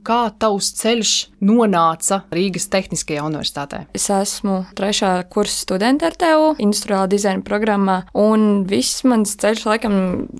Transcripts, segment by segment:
Kā tavs ceļš nonāca Rīgas Tehniskajā universitātē? Es esmu 3. kursa studente ar TU, industriālā dizaina programmā, un viss mans ceļš laikam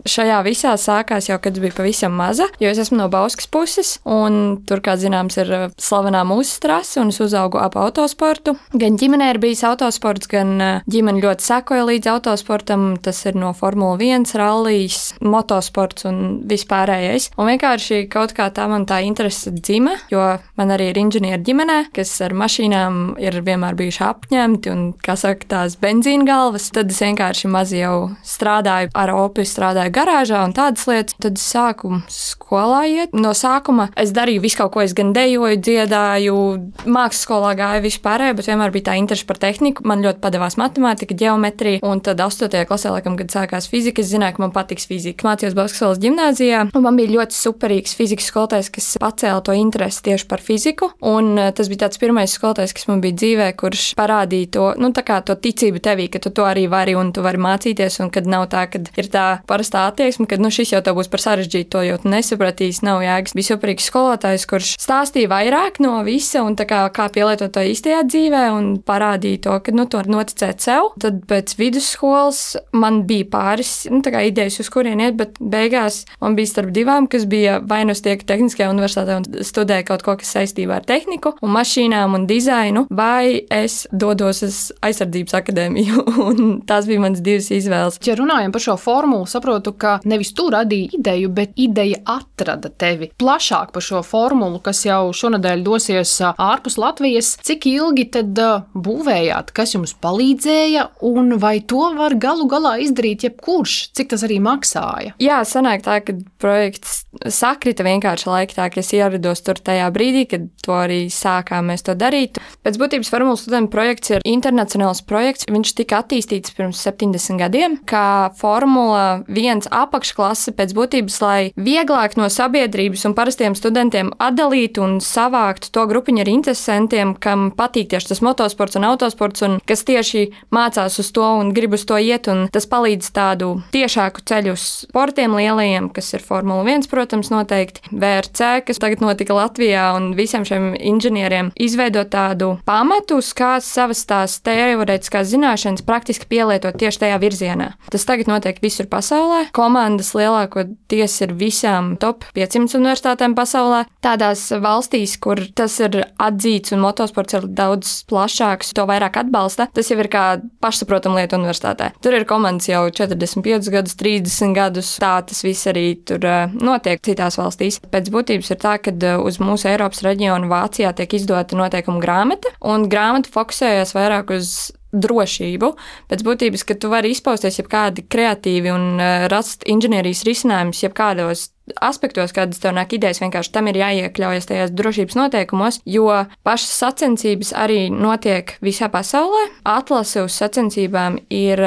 šajā visā sākās jau, kad es biju pavisam maza, jo es esmu no Bauskas puses, un tur, kā zināms, ir slavenā mūsu trase, un es uzaugu ap autosportu. Gan ģimenē ir bijis autosports, gan ģimene ļoti sekoja līdz autosportam, tas ir no Formula 1, rallijas, motosports un vispārējais. Un vienkārši kaut kā tā man tā interese dzima, jo man arī ir inženieri ģimenē, kas ar mašīnām ir vienmēr bijuši apņemti un, kā saka, tās benzīna galvas. Tad es vienkārši maz jau strādāju ar opi, strādāju garāžā un tādas lietas. Tad es sāku skolā iet. No sākuma es darīju visu kaut ko, es gan dejoju, dziedāju, mākslas skolā gāju vispārējo, bet vienmēr bija tā interese par tehniku. Man ļoti padevās matemātika, ģeometrija, un tad 8. klasē, laikam, kad sākās fizika, es zināju, ka man patiks fizika. Mācījos Bauskas ģimnāzijā, un man bija ļoti superīgs fizikas skolotājs, kas pacēla to interesi tieši par fiziku, un tas bija tāds pirmais skolotājs, kas man bija dzīvē, kurš parādīja to, tā kā to ticību tevī, ka tu to arī vari un tu vari mācīties, un kad nav tā, kad ir tā parastā attieksme, kad šis jau tev būs par sarežģītu, to jau tu nesapratīs, nav jēgas. Bija superīgs skolotājs, kurš stāstīja vairāk no visa un tā kā pielietot to īstajā dzīvē un parādīja to, ka tu vari noticēt sev. Tad pēc vidusskolas man bija pāris, tā kā idejas, uz kurien iet, bet beigās man bija starp divām, kas bija vai nu tiek Tehniskajā universitātē un studēju kaut ko, kas saistībā ar tehniku un mašīnām un dizainu, vai es dodos uz aizsardzības akadēmiju, un tās bija manas divas izvēles. Ja runājam par šo formulu, saprotu, ka nevis tu radīji ideju, bet ideja atrada tevi. Plašāk par šo formulu, kas jau šonadēļ dosies ārpus Latvijas, cik ilgi tad būvējāt, kas jums palīdzēja, un vai to var galu galā izdarīt jebkurš, cik tas arī maksāja? Jā, sanāk tā, ka projekts sakrita vienkārši laika tā, ka es ierados tur tajā brīdī, kad to arī sākām mēs to darīt. Pēc būtības formulas studentu projekts ir internacionāls projekts. Viņš tika attīstīts pirms 70 gadiem, kā Formula 1 apakšklase pēc būtības, lai vieglāk no sabiedrības un parastiem studentiem atdalītu un savāktu to grupiņu ar interesantiem, kam patīk tieši tas motosports un autosports, un kas tieši mācās uz to un grib uz to iet, un tas palīdz tādu tiešāku ceļu uz sportiem lielajiem, kas ir Formula 1, protams, noteikti, VRC, kas tagad notika Latvijā, un visiem šiem inženieriem izveidot tādu pamatu, kā savas tās teorētiskās zināšanas praktiski pielietot tieši tajā virzienā. Tas tagad notiek visur pasaulē. Komandas lielākoties ir visām top 500 universitātēm pasaulē. Tādās valstīs, kur tas ir atzīts un motosports ir daudz plašāks, to vairāk atbalsta, tas jau ir kā pašsaprotam lieta universitātē. Tur ir komandas jau 45 gadus, 30 gadus, tā tas viss arī tur notiek citās valstīs. Pēc būtības ir tā, ka uz mūsu Eiropas reģionu Vācijā tiek izdota noteikuma grāmata, un grāmata fokusējas vairāk uz drošību. Pēc būtības, ka tu vari izpausties jebkādi kreatīvi un rast inženierijas risinājumus jebkādos aspektos, kādas tev nāk idejas, vienkārši tam ir jāiekļaujas tajās drošības noteikumos, jo pašas sacensības arī notiek visā pasaulē. Atlase uz sacensībām ir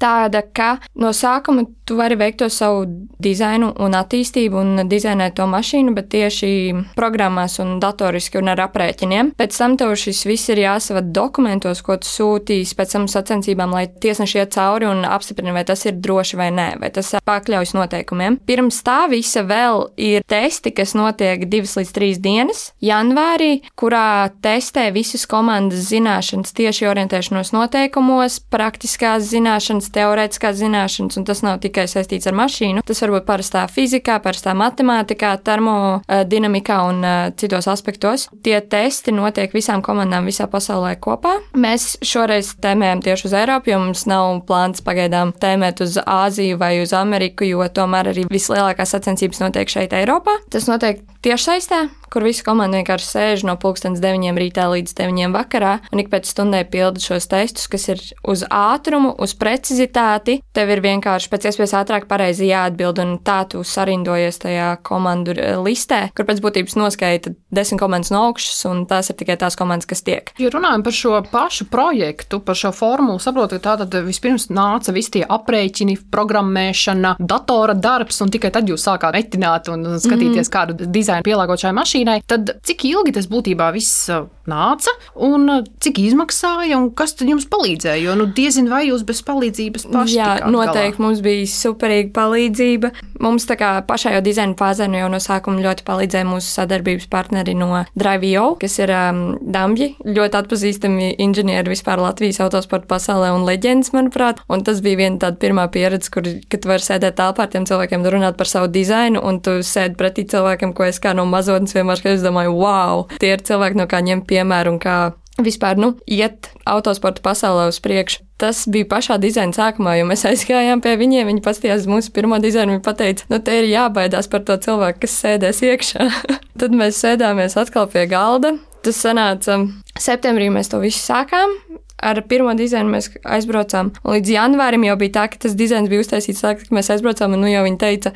tāda, ka no sākuma tu vari veikt to savu dizainu un attīstību un dizainēt to mašīnu, bet tieši programmās un datoriski un ar aprēķiniem. Pēc tam tev šis viss ir jāsavad dokumentos, ko tu sūtīs pēc tam sacensībām, lai tiesneši iet cauri un apstiprina, vai tas ir droši vai nē, vai tas pakļaujas noteikumiem. Pirms tā visa vēl ir testi, kas notiek 2 līdz 3 dienas janvārī, kurā testē visas komandas zināšanas, tieši orientēšanos noteikumos, praktiskās zināšanas, teorētiskās zināšanas, un tas nav tikai saistīts ar mašīnu. Tas var būt parastā fizikā, parastā matemātikā, termodinamikā un citos aspektos. Tie testi notiek visām komandām visā pasaulē kopā. Mēs šoreiz tēmējam tieši uz Eiropu, jo mums nav plāns pagaidām tēmēt uz Āziju vai uz Ameriku, jo tomēr arī vislielākās sacensības notiek šeit Eiropā. Tas notiek tiešsaistē, kur visa komanda vienkārši sēž no 9:00 rītā līdz 9:00 vakarā un ik pēc stundai pilda šos testus, kas ir uz ātrumu, uz precizitāti. Tev ir vienkārši pēc iespējas ātrāk pareizi jāatbild, un tā tu sarindojies tajā komandu listē, kur pēc būtības noskaita 10 komandas no augšas, un tās ir tikai tās komandas, kas tiek. Ja runājam par šo pašu projektu, par šo formulu, saprotu, ka tātad vispirms nāca visi tie aprēķini, programmēšana, datora darbs, un tikai tad jūs sākāt metināt un skatīties kādu dizainu dizainu pielāgot šai mašīnai, tad cik ilgi tas būtībā viss nāca un cik izmaksāja un kas tad jums palīdzēja? Jo, diezin vai jūs bez palīdzības paši tikāt galā? Noteikti mums bija superīga palīdzība. Mums tā kā pašā jau dizaina fāzē jau no sākuma ļoti palīdzēja mūsu sadarbības partneri no Drive.io, kas ir Dambji, ļoti atpazīstami inženieri vispār Latvijas autosporta pasaulē un leģendas, manuprāt. Un tas bija viena tāda pirmā pieredze, kad tu vari sēdēt telpā ar tiem cilvēkiem, runāt par savu dizainu, un tu sēdi pretī cilvēkiem, ko es kā no mazotnes vienmēr, kad es domāju, wow, tie ir cilvēki, no kā ņem piemēru un kā vispār, iet autosporta pasaulē uz priekšu. Tas bija pašā dizaina sākumā, jo mēs aizgājām pie viņiem, viņi paskatījās mūsu pirmo dizainu, viņi pateica, te ir jābaidās par to cilvēku, kas sēdēs iekšā. Tad mēs sēdāmies atkal pie galda. Tas sanāca septembrī, mēs to visu sākām. Ar pirmo dizainu mēs aizbraucām. Līdz janvārim jau bija tā, ka tas dizains bija uztaisīts tā, ka mēs aizbraucām, un jau viņi teica,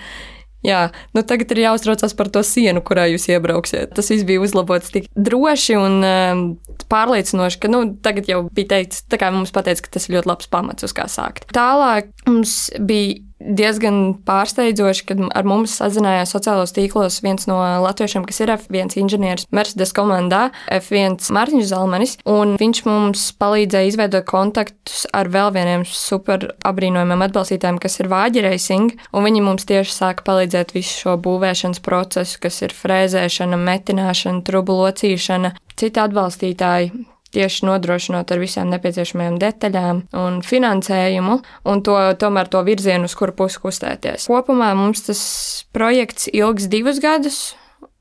jā, tagad ir jāuztraucās par to sienu, kurā jūs iebrauksiet. Tas viss bija uzlabots tik droši un pārliecinoši, ka tagad jau bija teikts, tā kā mums pateica, ka tas ir ļoti labs pamats, uz kā sākt. Tālāk mums bija diezgan pārsteidzoši, kad ar mums sazinājās sociālos tīklos viens no latviešiem, kas ir F1 inženieris Mercedes komandā, F1 Mārtiņš Zalmanis, un viņš mums palīdzēja izveidot kontaktus ar vēl vieniem super apbrīnojumiem atbalstītājiem, kas ir Vāģi Racing, un viņi mums tieši sāka palīdzēt visu šo būvēšanas procesu, kas ir frēzēšana, metināšana, trubu locīšana, citi atbalstītāji. Tieši nodrošinot ar visām nepieciešamajām detaļām un finansējumu, un tomēr to virzienu, uz kuru pusi kustēties. Kopumā mums tas projekts ilgs 2 gadus,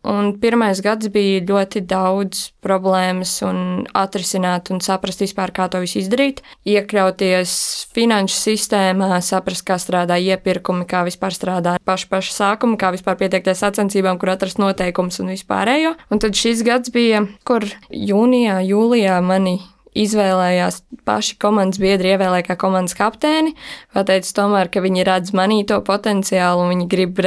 un pirmais gads bija ļoti daudz problēmas un atrisināt un saprast vispār, kā to visu izdarīt. Iekļauties finanšu sistēmā, saprast, kā strādā iepirkumi, kā vispār strādā paša sākuma, kā vispār pieteikties sacensībām, kur atrast noteikumus un vispārējo. Un tad šis gads bija, kur jūnijā, jūlijā mani izvēlējās paši komandas biedri, ievēlēja kā komandas kapteini, pateica tomēr, ka viņi redz manī to potenciālu un viņi grib,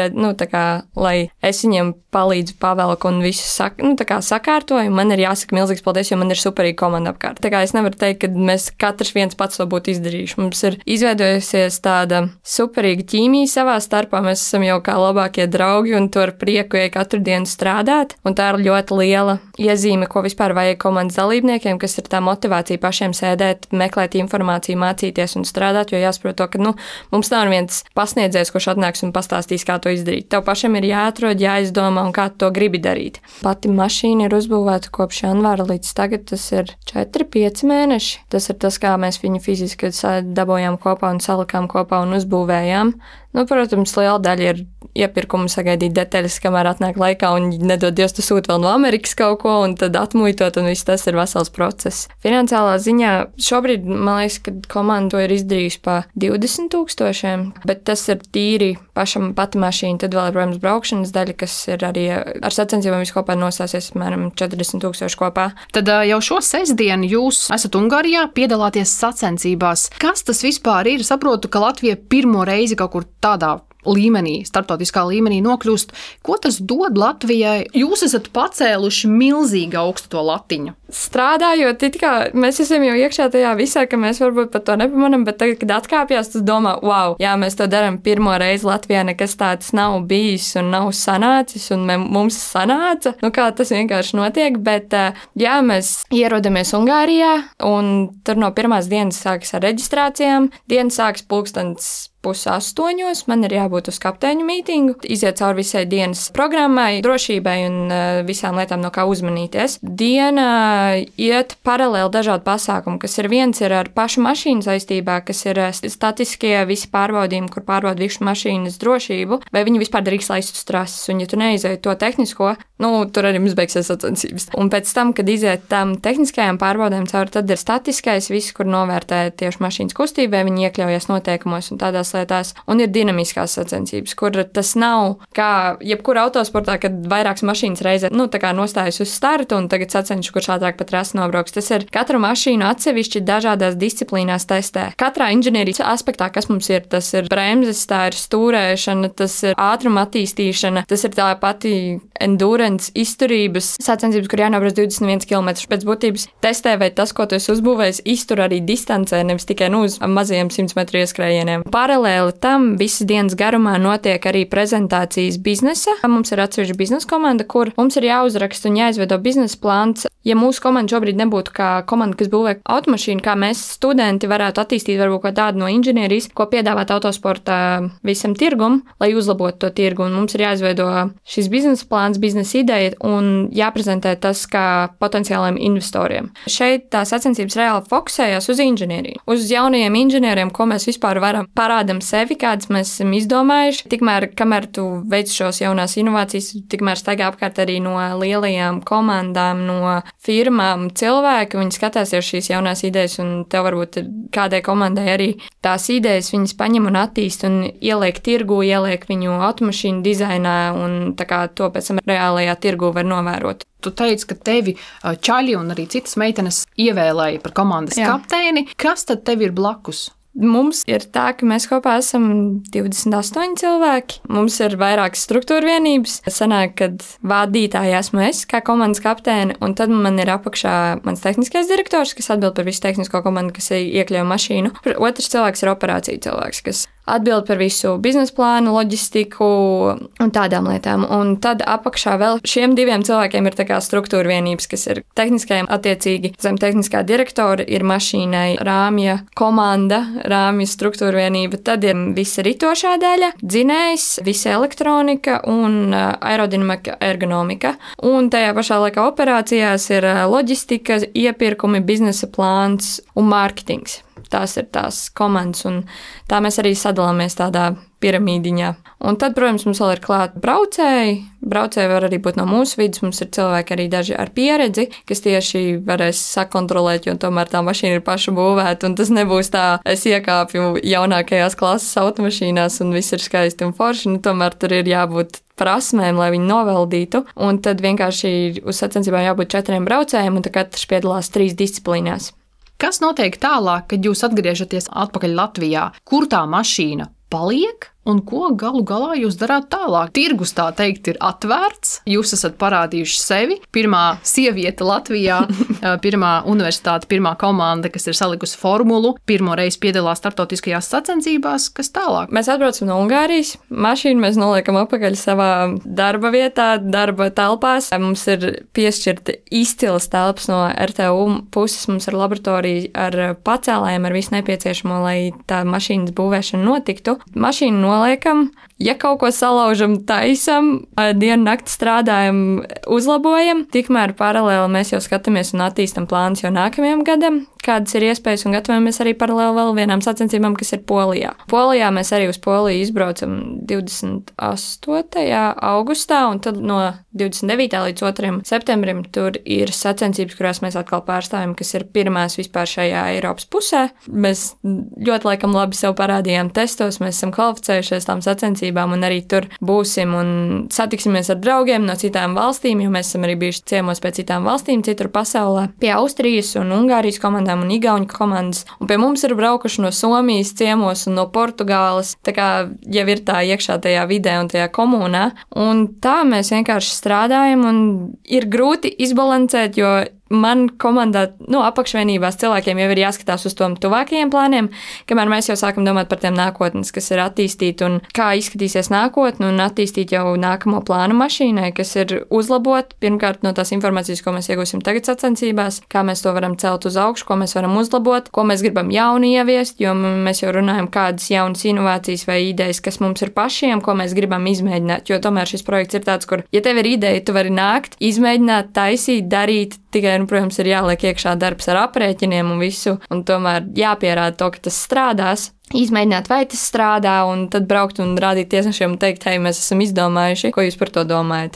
lai es viņiem palīdzu pavelku un visu sakārtoju. Man ir jāsaka milzīgs paldies, jo man ir superīga komanda apkārt. Tā kā es nevaru teikt, ka mēs katrs viens pats to būtu izdarījuši. Mums ir izveidojusies tāda superīga ķīmija savā starpā, mēs esam jau kā labākie draugi un to ar prieku ej katru dienu strādāt. Un tā ir ļoti liela iezīme, ko vispār vajag komandas dalībniekiem, kas ir tā motivācija pašiem sēdēt, meklēt informāciju, mācīties un strādāt, jo jāsaprot to, ka mums nav viens pasniedzējs, kurš atnāks un pastāstīs, kā to izdarīt. Tev pašam ir jāatrod, jāizdomā un kā to gribi darīt. Pati mašīna ir uzbūvēta kopš janvāra līdz tagad, tas ir 4-5 mēneši. Tas ir tas, kā mēs viņu fiziski dabojām kopā un salikām kopā un uzbūvējām. Protams, liela daļa ir iepirkumu sagaidīt detaļas, kamēr atnāk laikā un nedod Dievs, tu sūti vēl no Amerikas kaut ko un tad atmuitot un viss tas ir vesels process. Finansiālā ziņā šobrīd, man liekas, ka komanda to ir izdarījusi pa 20 000, bet tas ir tīri pašam pati mašīna, tad vēl ir, protams, braukšanas daļa, kas ir arī ar sacensībām viskopā nostāsies, apmēram 40 000 kopā. Tad jau šo sestdienu jūs esat Ungārijā, piedalāties sacensībās. Kas tas vispār ir? Saprotu, ka Latvija pirmo reizi kaut kur tādā līmenī, starptautiskā līmenī nokļūst. Ko tas dod Latvijai? Jūs esat pacēluši milzīgi augstu to latiņu. Strādājot, mēs esam jau iekšā tajā visā, ka mēs varbūt pat to nepamanam, bet tagad, kad atkāpjās, tas domā, wow, jā, mēs to darām pirmo reizi Latvijā, nekas tāds nav bijis un nav sanācis, un mums sanāca, kā tas vienkārši notiek, bet jā, mēs ierodamies Ungārijā, un tur no pirmās dienas sākas ar reģistrācijām, dienas sākas 7:30, man ir jābūt uz kapteiņu mītingu, iziet cauri visai dienas programmai, drošībai un visām lietām, no kā uzmanīties. Diena iet paralēli dažādu pasākumu, kas ir viens ir ar pašu mašīnu saistībā, kas ir statiskie visi pārbaudījumi, kur pārbauda visu mašīnas drošību, vai viņi vispār drīkst laist uz trases, un ja tu neizēji to tehnisko, tur arī mums beigsies sacensības. Un pēc tam, kad iziet tam tehniskajām pārbaudēm cauri, tad ir statiskais viss, kur novērtē tieši mašīnas kustību, vai viņi iekļaujas noteikumos un tādās lietās, un ir dinamiskās sacensības, kur tas nav kā jebkura autosportā, kad vairākas mašīnas reizē, nostājas uz startu un tagad sacenšu, kurš ātrāk pat trasi nobrauks. Tas ir katru mašīnu atsevišķi dažādās disciplīnās testē. Katrā inženierijas aspektā, kas mums ir, tas ir bremzes, tā ir stūrēšana, tas ir ātruma attīstīšana, tas ir tā pati endurance, izturības sacensības, kur jānobrauc 21 km. Pēc būtības testē, vai tas, ko tu esi uzbūvējis, iztur arī distancē, nevis tikai uz mazajiem 100 metru ieskrējieniem. Paralēli paralēli tam visas dienas garumā notiek arī prezentācijas biznesa. Mums ir atsevišķa biznesa komanda, kur mums ir jāuzraksta un jāizveido biznesa plāns. Ja mūsu komanda šobrīd nebūtu kā komanda, kas būvē automašīnu, kā mēs studenti varētu attīstīt varbūt kaut tādu no inženierijas, ko piedāvāt autosporta visam tirgum, lai uzlabotu to tirgu. Un mums ir jāizveido šis biznesa plāns, biznesa ideja un jāprezentē tas kā potenciāliem investoriem. Šeit tās sacensības reāli fokusējās uz inženieriju, uz jaunajiem inženieriem, ko mēs vispār varam parādam sevi, kādas mēs esam izdomājuši. Tikmēr, kamēr tu veic šos jaunās inovācijas, tikmēr staigā apkārt arī no lielajām komandām, no firmām cilvēki, viņi skatās jau šīs jaunās idejas, un tev varbūt kādai komandai arī tās idejas viņas paņem un attīst un ieliek tirgu, ieliek viņu automašīnu dizainā, un tā kā to pēc tam reālajā tirgu var novērot. Tu teici, ka tevi čaļi un arī citas meitenes ievēlēja par komandas kapteini. Kas tad tev ir blakus? Mums ir tā, ka mēs kopā esam 28 cilvēki. Mums ir vairākas struktūra vienības. Sanāk, kad vadītāja esmu es kā komandas kapteine, un tad man ir apakšā mans tehniskais direktors, kas atbild par visu tehnisko komandu, kas iekļauj mašīnu. Otrs cilvēks ir operācija cilvēks, kas atbild par visu biznesa plānu, loģistiku un tādām lietām. Un tad apakšā vēl šiem diviem cilvēkiem ir tā kā struktūra vienības, kas ir tehniskajiem attiecīgi. Zem tehniskā direktora ir mašīnai rāmja komanda, rāmja struktūra vienība. Tad ir visa ritošā daļa, dzinējs, visa elektronika un aerodinamika, ergonomika. Un tajā pašā laikā operācijās ir loģistika, iepirkumi, biznesa plāns un mārketings. Tās ir tās komandas, un tā mēs arī sadalāmies tādā piramīdiņā. Un tad, protams, mums vēl ir klāt braucēji. Braucēji var arī būt no mūsu vidus. Mums ir cilvēki arī daži ar pieredzi, kas tieši varēs sakontrolēt, jo tomēr tā mašīna ir paša būvēta, un tas nebūs tā, es iekāpju jaunākajās klases automašīnās, un viss ir skaisti un forši, tomēr tur ir jābūt prasmēm, lai viņi novaldītu, un tad vienkārši uz sacensībām jābūt 4 braucējiem, un tad katrs piedalās 3 disciplīnās. Kas notiek tālāk, kad jūs atgriežaties atpakaļ Latvijā? Kur tā mašīna paliek un ko galu galā jūs darāt tālāk? Tirgus, tā teikt, ir atvērts, jūs esat parādījuši sevi. Pirmā sieviete Latvijā, pirmā universitāte, pirmā komanda, kas ir salikusi formulu, pirmo reizi piedalās starptautiskajās sacensībās. Kas tālāk? Mēs atbraucam no Ungārijas, mašīnu mēs noliekam apakaļ savā darba vietā, darba telpās. Mums ir piešķirta izcils telpas no RTU puses, mums ir laboratorija ar pacēlājiem, ar visu nepieciešamo, lai tā mašīnas būvēšana notiktu. Mašīnu noliekam, ja kaut ko salaužam, taisam, dienu nakti strādājam, uzlabojam, tikmēr paralēli mēs jau skatāmies un attīstam plānus jau nākamajam gadam, kādas ir iespējas, un gatavojamies arī paralēli vēl vienām sacensībām, kas ir Polijā. Polijā mēs arī uz Poliju izbraucam 28. augustā, un tad no 29. līdz 2. septembrim tur ir sacensības, kurās mēs atkal pārstāvjam, kas ir pirmās vispār šajā Eiropas pusē. Mēs ļoti laikam labi sev parādījām testos, mēs esam kvalificējušies tām sacensībām, un arī tur būsim un satiksimies ar draugiem no citām valstīm, jo mēs esam arī bijuši ciemos pie citām valstīm, citur pasaulē, pie Austrijas un Ungārijas komandām un igauņu komandas, un pie mums ir braukuši no Somijas ciemos un no Portugāles, tā kā jau ir tā iekšā tajā vidē un tajā komunā, un tā mēs vienkārši strādājam, un ir grūti izbalansēt, jo man komandā, apakšvienībās cilvēkiem jau ir jāskatās uz tom tuvākajiem plāniem, kamēr mēs jau sākam domāt par tiem nākotnes, kas ir attīstīt un kā izskatīsies nākotne un attīstīt jau nākamo plānu mašīnai, kas ir uzlabot, pirmkārt no tās informācijas, ko mēs iegūsim tagad sacensībās, kā mēs to varam celt uz augšu, ko mēs varam uzlabot, ko mēs gribam jauni ieviest, jo mēs jau runājam, kādas jaunas inovācijas vai idejas, kas mums ir pašiem, ko mēs gribam izmēģināt, jo tomēr šis projekts ir tāds, kur, ja tev ir ideja, tu vari nākt, izmēģināt, taisīt, darīt, tikai, protams, ir jāliek iekšā darbs ar aprēķiniem un visu, un tomēr jāpierāda to, ka tas strādās, izmēģināt, vai tas strādā, un tad braukt un rādīt tiesnešiem un teikt, hei, mēs esam izdomājuši, ko jūs par to domājat.